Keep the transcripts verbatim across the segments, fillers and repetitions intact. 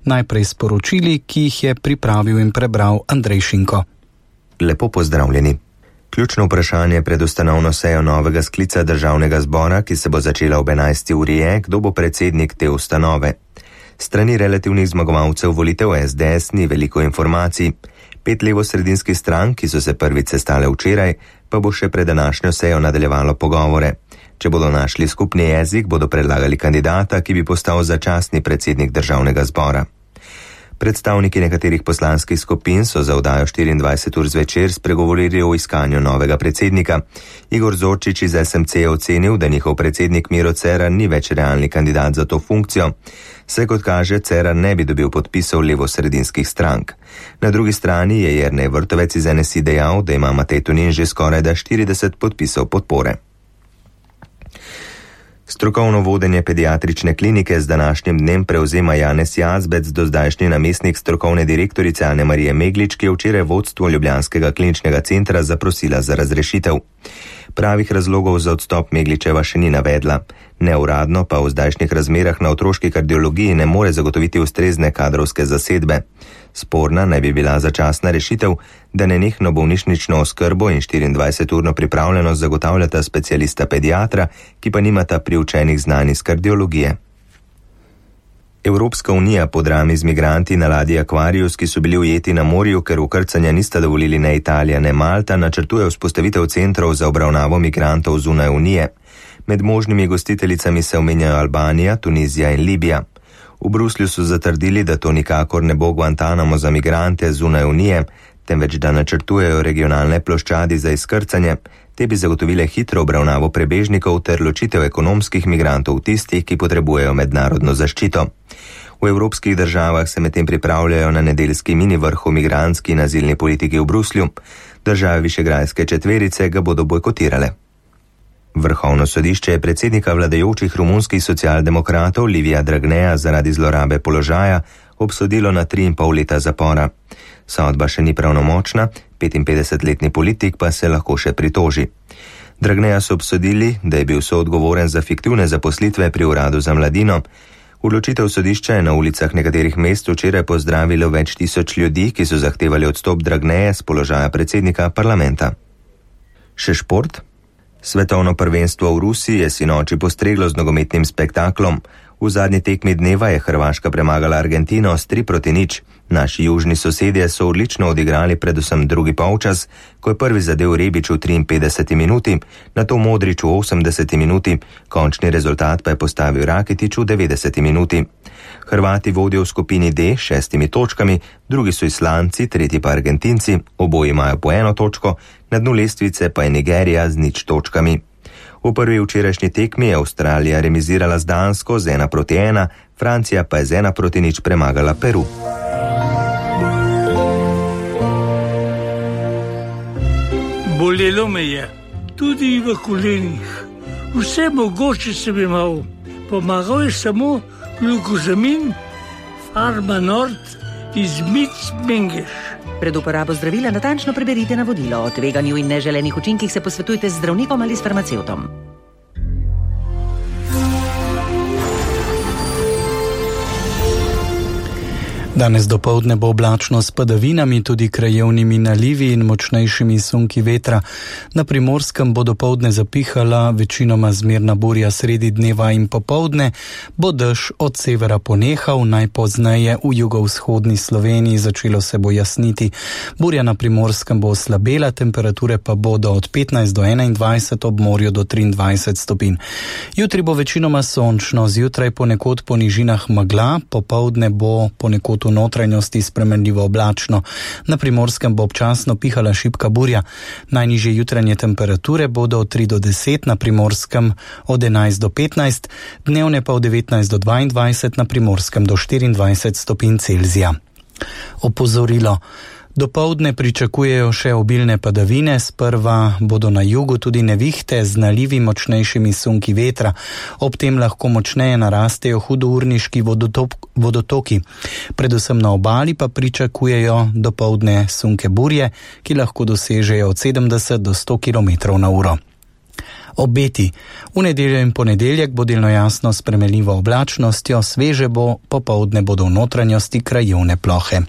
Najprej sporočili, ki jih je pripravil in prebral Andrej Šinko. Lepo pozdravljeni. Ključno vprašanje pred ustanovno sejo novega sklica državnega zbora, ki se bo začela ob enajsti uri, je, kdo bo predsednik te ustanove. Strani relativnih zmagovalcev volitev S D S ni veliko informacij. Pet levosredinskih strank, ki so se prvič sestale včeraj, pa bo še pred današnjo sejo nadaljevalo pogovore. Če bodo našli skupni jezik, bodo predlagali kandidata, ki bi postal začasni predsednik državnega zbora. Predstavniki nekaterih poslanskih skupin so za oddajo štiriindvajset ur zvečer spregovorili o iskanju novega predsednika. Igor Zorčič iz S M C je ocenil, da njihov predsednik Miro Cerar ni več realni kandidat za to funkcijo. Vse kot kaže, Cerar ne bi dobil podpisov levosredinskih strank. Na drugi strani je Jernej Vrtovec iz N S I dejal, da ima Matej Tonin že skoraj da štirideset podpisov podpore. Strokovno vodenje pediatrične klinike z današnjim dnem prevzema Janez Jazbec, dozdajšnji namestnik strokovne direktorice Ane Marije Meglič, ki je včeraj vodstvo Ljubljanskega kliničnega centra zaprosila za razrešitev. Pravih razlogov za odstop Megličeva še ni navedla. Neuradno pa v zdajšnjih razmerah na otroški kardiologiji ne more zagotoviti ustrezne kadrovske zasedbe. Sporna naj bi bila začasna rešitev, da nenehno bolnišnično oskrbo in štiriindvajseturno pripravljenost zagotavljata specialista pediatra, ki pa nimata priučenih znanj iz kardiologije. Evropska unija po drami z migranti na ladji Aquarius, ki so bili ujeti na morju, ker ukrcanja nista dovolili ne Italija ne Malta, načrtuje vzpostavitev centrov za obravnavo migrantov zunaj unije. Med možnimi gostiteljicami se omenjajo Albanija, Tunizija in Libija. V Bruslju so zatrdili, da to nikakor ne bo Guantanamo za migrante zunaj unije, temveč da načrtujejo regionalne ploščadi za izkrcanje. Te bi zagotovile hitro obravnavo prebežnikov ter ločitev ekonomskih migrantov tistih, ki potrebujejo mednarodno zaščito. V evropskih državah se medtem pripravljajo na nedeljski mini vrh o migrantski in azilni politiki v Bruslju. Države Višegrajske četverice ga bodo bojkotirale. Vrhovno sodišče je predsednika vladajočih romunskih socialdemokratov Livija Dragneja zaradi zlorabe položaja obsodilo na tri in pol leta zapora. Sodba še ni pravnomočna, petinpetdesetletni politik pa se lahko še pritoži. Dragneja so obsodili, da je bil soodgovoren za fiktivne zaposlitve pri uradu za mladino. Odločitev sodišča je na ulicah nekaterih mest včeraj pozdravilo več tisoč ljudi, ki so zahtevali odstop Dragneje z položaja predsednika parlamenta. Še šport? Svetovno prvenstvo v Rusiji je sinoči postreglo z nogometnim spektaklom. V zadnji tekmi dneva je Hrvaška premagala Argentino s tri proti nič. Naši južni sosedje so odlično odigrali predvsem drugi polčas, ko je prvi zadel Rebič v triinpetdeseti minuti, nato Modrič v osemdeseti minuti, končni rezultat pa je postavil Rakitić v devetdeseti minuti. Hrvati vodijo v skupini D s šestimi točkami, drugi so Islanci, tretji pa Argentinci, oboji imajo po eno točko, na dnu lestvice pa je Nigerija z nič točkami. V prvi včerajšnji tekmi je Avstralija remizirala z Dansko z ena proti ena, Francija pa je z ena proti nič premagala Peru. Bolelo me je, tudi v kolenih. Vse mogoče sem imel. Pomagal je samo glukozamin, Farma Nord iz Mic Mengeš. Pred uporabo zdravila natančno preberite navodilo. O tveganju in neželenih učinkih se posvetujte z zdravnikom ali s farmacevtom. Danes dopoldne bo oblačno s padavinami, tudi krajevnimi nalivi in močnejšimi sunki vetra. Na Primorskem bo dopoldne zapihala večinoma zmerna burja, sredi dneva in popoldne bo dež od severa ponehal, najpozneje v jugovzhodni Sloveniji začelo se bo jasniti. Burja na Primorskem bo oslabela, temperature pa bodo od petnajst do enaindvajset, ob morju do triindvajset stopinj. Jutri bo večinoma sončno, zjutraj ponekod po nižinah megla, popoldne bo ponekod v notranjosti spremenljivo oblačno. Na Primorskem bo občasno pihala šibka burja. Najnižje jutranje temperature bodo od tri do deset, na Primorskem od enajst do petnajst, dnevne pa od devetnajst do dvaindvajset, na Primorskem do štiriindvajset stopinj Celzija. Opozorilo. Dopoldne pričakujejo še obilne padavine, sprva bodo na jugu tudi nevihte z nalivi močnejšimi sunki vetra. Ob tem lahko močneje narastejo hudourniški vodotoki. Predvsem na obali pa pričakujejo dopoldne sunke burje, ki lahko dosežejo od sedemdeset do sto kilometrov na uro. Obeti. V nedeljo in ponedeljek bo delno jasno s spremenljivo oblačnostjo, sveže bo, popoldne bodo v notranjosti krajevne plohe.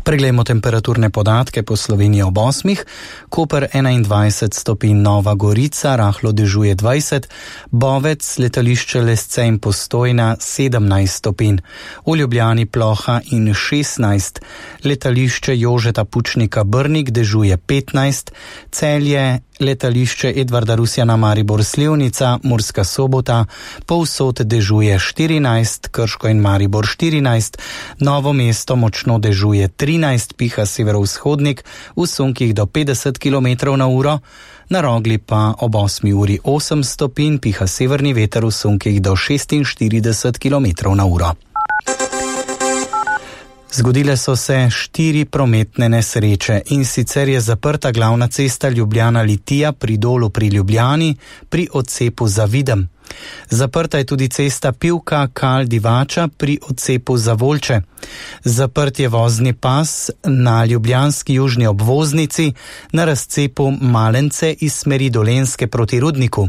Preglejmo temperaturne podatke po Sloveniji ob osmih. Koper enaindvajset stopinj, Nova Gorica, rahlo dežuje dvajset, Bovec, letališče Lesce in Postojna sedemnajst stopinj, v Ljubljani ploha in šestnajst, letališče Jožeta Pučnika Brnik dežuje petnajst, Celje, letališče Edvarda Rusjana Maribor Slivnica, Murska Sobota, povsod dežuje štirinajst, Krško in Maribor štirinajst, Novo mesto močno dežuje trinajst, piha severovzhodnik, v sunkih do petdeset kilometrov na uro, na Rogli pa ob osmi uri osem stopinj, piha severni veter v sunkih do šestinštirideset kilometrov na uro. Zgodile so se štiri prometne nesreče, in sicer je zaprta glavna cesta Ljubljana-Litija pri Dolu pri Ljubljani pri odcepu za Videm. Zaprta je tudi cesta Pivka-Kal-Divača pri odcepu za Volče. Zaprt je vozni pas na ljubljanski južni obvoznici na razcepu Malence iz smeri Dolenjske proti Rudniku.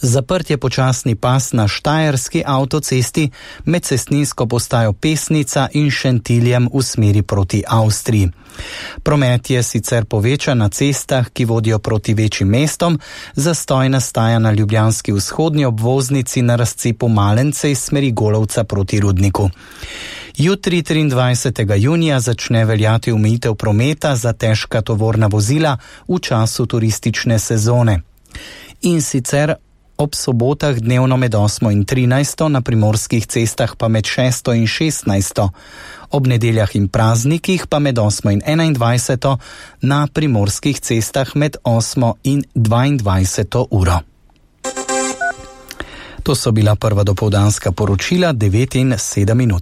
Zaprt je počasni pas na štajerski avtocesti med cestninsko postajo Pesnica in Šentiljem v smeri proti Avstriji. Promet je sicer povečan na cestah, ki vodijo proti večjim mestom, zastoj nastaja na ljubljanski vzhodni obvoznici na razcepu Malence iz smeri Golovca proti Rudniku. Jutri, triindvajsetega junija, začne veljati omejitev prometa za težka tovorna vozila v času turistične sezone. In sicer ob sobotah dnevno med osmo in trinajsto, na primorskih cestah pa med šesto in šestnajsto, ob nedeljah in praznikih pa med osmo in enaindvajseto, na primorskih cestah med osmo in dvaindvajseto uro. To so bila prva dopoldanska poročila, devet in sedem minut.